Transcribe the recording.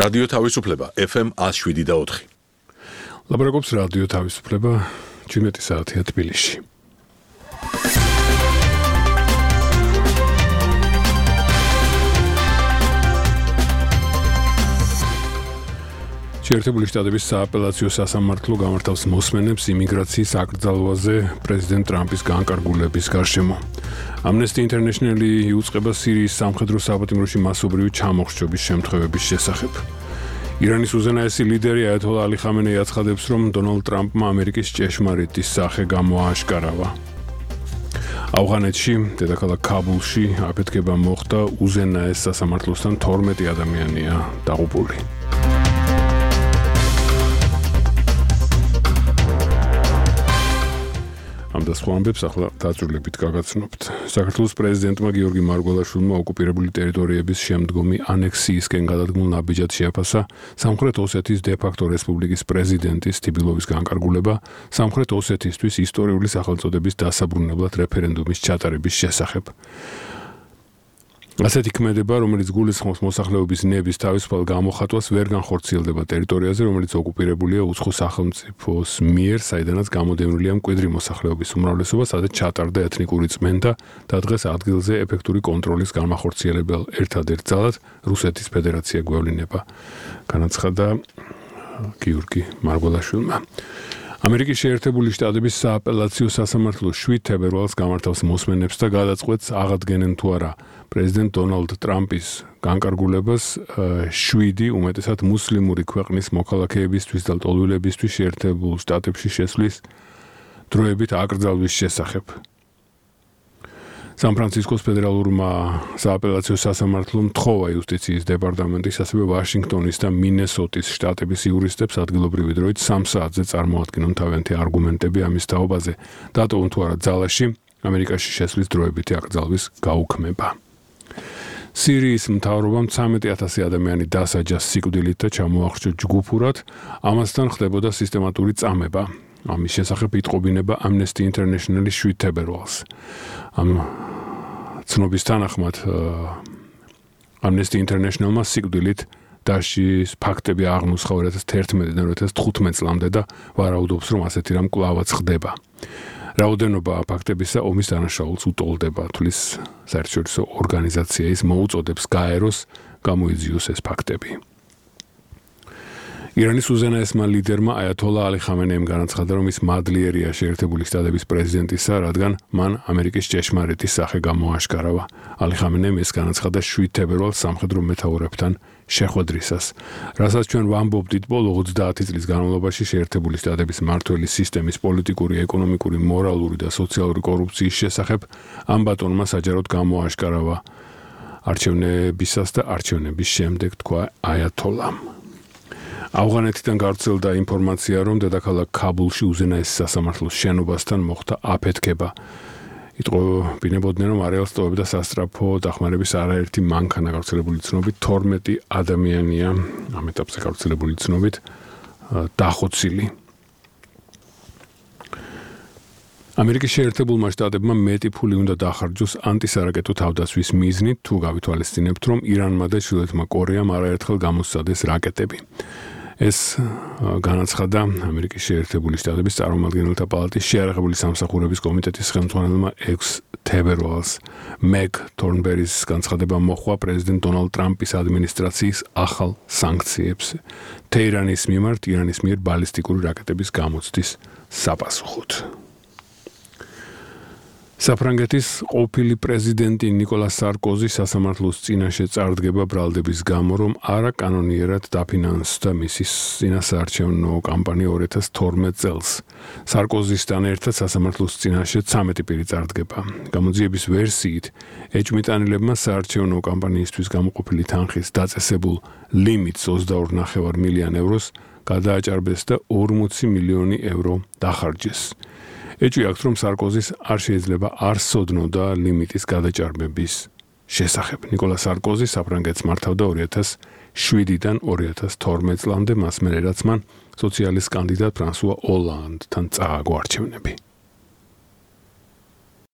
რადიო თავისუფლება FM 107.4. ლაპარაკობს რადიო თავისუფლება 17 საათია თბილისში. შეერთებული შტატების სააპელაციო სასამართლო გამართავს მოსმენებს იმიგრაციის აკრძალვაზე პრეზიდენტ ტრამპის განკარგულების გარშემო. Amnesty International-ი იუწყება სირიის სამხედრო საპატიმროში მასობრივი ჩამოხრჩობის შემთხვევების შესახებ. ირანის უზენაესი ლიდერი აიათოლა ალი ხამენეი აცხადებს, რომ დონალდ ტრამპმა ამერიკის ჭეშმარიტი სახე გამოააშკარავა. ავღანეთში, დედაქალაქ ქაბულში აფეთქება მოხდა, უზენაეს სასამართლოსთან 12 ადამიანია დაღუპული. ამ დასხმარებებს ახლა დაწვრილებით გაგაცნობთ. საქართველოს პრეზიდენტმა გიორგი მარგველაშვილმა ოკუპირებული ტერიტორიების შემდგომი ანექსიისკენ გადადგმულ ნაბიჯად შეაფასა სამხრეთ ოსეთის დე-ფაქტო რესპუბლიკის პრეზიდენტის თბილოვის განკარგულება სამხრეთ ოსეთისთვის ისტორიული სახელწოდების დასაბრუნებლად რეფერენდუმის ჩატარების შესახებ. ასეთი ქმედება, რომელიც გულისხმობს მოსახლეობის ნების თავისუფალ გამოხატვას, ვერ განხორციელდება ტერიტორიაზე, რომელიც ოკუპირებულია უცხო სახელმწიფოს მიერ, საიდანაც გამოდევნილია მკვიდრი მოსახლეობის უმრავლესობა, სადაც ჩატარდა ეთნიკური წმენდა და დღეს ადგილზე ეფექტური კონტროლის განახორციელებელ ერთადერთ ძალად რუსეთის ფედერაცია გვევლინება, განაცხადა გიორგი მარგველაშვილმა. ამერიკის შეერთებული შტატების სააპელაციო სასამართლო 7 თებერვალს გამართავს მოსმენებს და გადაწყვეტს აღადგენენ თუ არა პრეზიდენტ დონალდ ტრამპის განკარგულებას 7 უმეტესად მუსლიმური ქვეყნის მოქალაქეებისთვის და ლტოლვილებისთვის შეერთებულ შტატებში შესვლის დროებით აკრძალვის შესახებ. სან-ფრანცისკოს ფედერალურმა სააპელაციო სასამართლომ თხოვა იუსტიციის დეპარტამენტის, ასევე ვაშინგტონის და მინესოტის შტატების იურისტებს ადგილობრივი დროით 3 საათზე წარმოადგინონ თავიანთი არგუმენტები ამის თაობაზე, დატოვონ თუ არა ძალაში ამერიკაში შესვლის დროებითი აკრძალვის გაუქმება. სირიის მთავრობამ 13,000 ადამიანი დასაჯა სიკვდილით და ჩამოახრჩა ჯგუფურად, ამასთან ხდებოდა სისტემატური წამება. ამის შესახებ იტყობინება Amnesty International-ი 7 თებერვალს. ამ ცნობის თანახმად Amnesty International-მა სიკვდილით დასჯის ფაქტები აღმოსხა 2011-დან 2015 წლამდე და ვარაუდობს, რომ ასეთი რამ კვლავაც ხდება. რაოდენობა ფაქტებისა ომის დანაშაულს უტოლდება, თulis საერთაშორისო ორგანიზაცია ის მოუწოდებს გაეროს გამოიძიოს ეს ფაქტები. ირანის უზენაესმა ლიდერმა აიათოლა ალი ხამენეიმ განაცხადა, რომ ის მადლიერია შეერთებული შტატების პრეზიდენტისა, რადგან მან ამერიკის ჭეშმარიტი სახე გამოაშკარავა. ალი ხამენეიმ ეს განაცხადა 7 თებერვალს სამხედრო მეთაურებთან შეხვედრისას, რასაც ჩვენ ვამბობდით ბოლო 30 წლის განმავლობაში შეერთებული შტატების მმართველი სისტემის პოლიტიკური, ეკონომიკური, მორალური და სოციალური კორუფციის შესახებ, ამ ბატონმა საჯაროდ გამოაშკარავა არჩევნებისას და არჩევნების შემდეგ, თქვა აიათოლამ. ავღანეთიდან გავრცელდა ინფორმაცია, რომ დედაქალაქ ქაბულში უზენაეს სასამართლოს შენობასთან მოხდა აფეთქება. იტყობინებოდნენ, რომ არეალს ტოვებდა სასტრაფო დახმარების არაერთი მანქანა, გავრცელებული ცნობით 12 ადამიანია ამ ეტაპზე გავრცელებული ცნობით დახოცილი. ამერიკის შეერთებულმა შტატებმა მეტი ფული უნდა დახარჯოს ანტისარაკეტო თავდაცვის მიზნით, თუ გავითვალისწინებთ, რომ ირანმა და ჩრდილოეთმა კორეამ არაერთხელ გამოსცადეს რაკეტები. ეს განაცხადა ამერიკის შეერთებული შტატების წარმომადგენელთა პალატის შეიარაღებული სამსახურების კომიტეტის ხელმძღვანელმა 6 თებერვალს. მეგ თორნბერის განცხადება მოჰყვა პრეზიდენტ დონალდ ტრამპის ადმინისტრაციის ახალ სანქციებს თეირანის მიმართ ირანის მიერ ბალისტიკური რაკეტების გამოცდის საპასუხოდ. საფრანგეთის ყოფილი პრეზიდენტი ნიკოლას სარკოზი სასამართლოს წინაშე წარდგება ბრალდების გამო, რომ არაკანონიერად დაფინანსდა მისი წინასაარჩევნო კამპანია 2012 წელს. სარკოზისთან ერთად სასამართლოს წინაშე 13 პირი წარდგება. გამოძიების ვერსიით, ეჭვმიტანილებმა საარჩევნო კამპანიისთვის გამოყოფილი თანხის დაწესებულ ლიმიტს 22,5 მილიონი ევროს გადააჭარბეს და 40 მილიონი евро დახარჯეს. ეჭვი აქვს, რომ სარკოზის არ შეიძლება არ სოდნოდა ლიმიტის გადაჭარბების შესახებ. ნიკოლა სარკოზი საფრანგეთს მართავდა 2007-დან 2012 წლამდე, მას მერე რაც მან სოციალისტ კანდიდატ ფრანსუა ოლანდთან წააგო არჩევნები.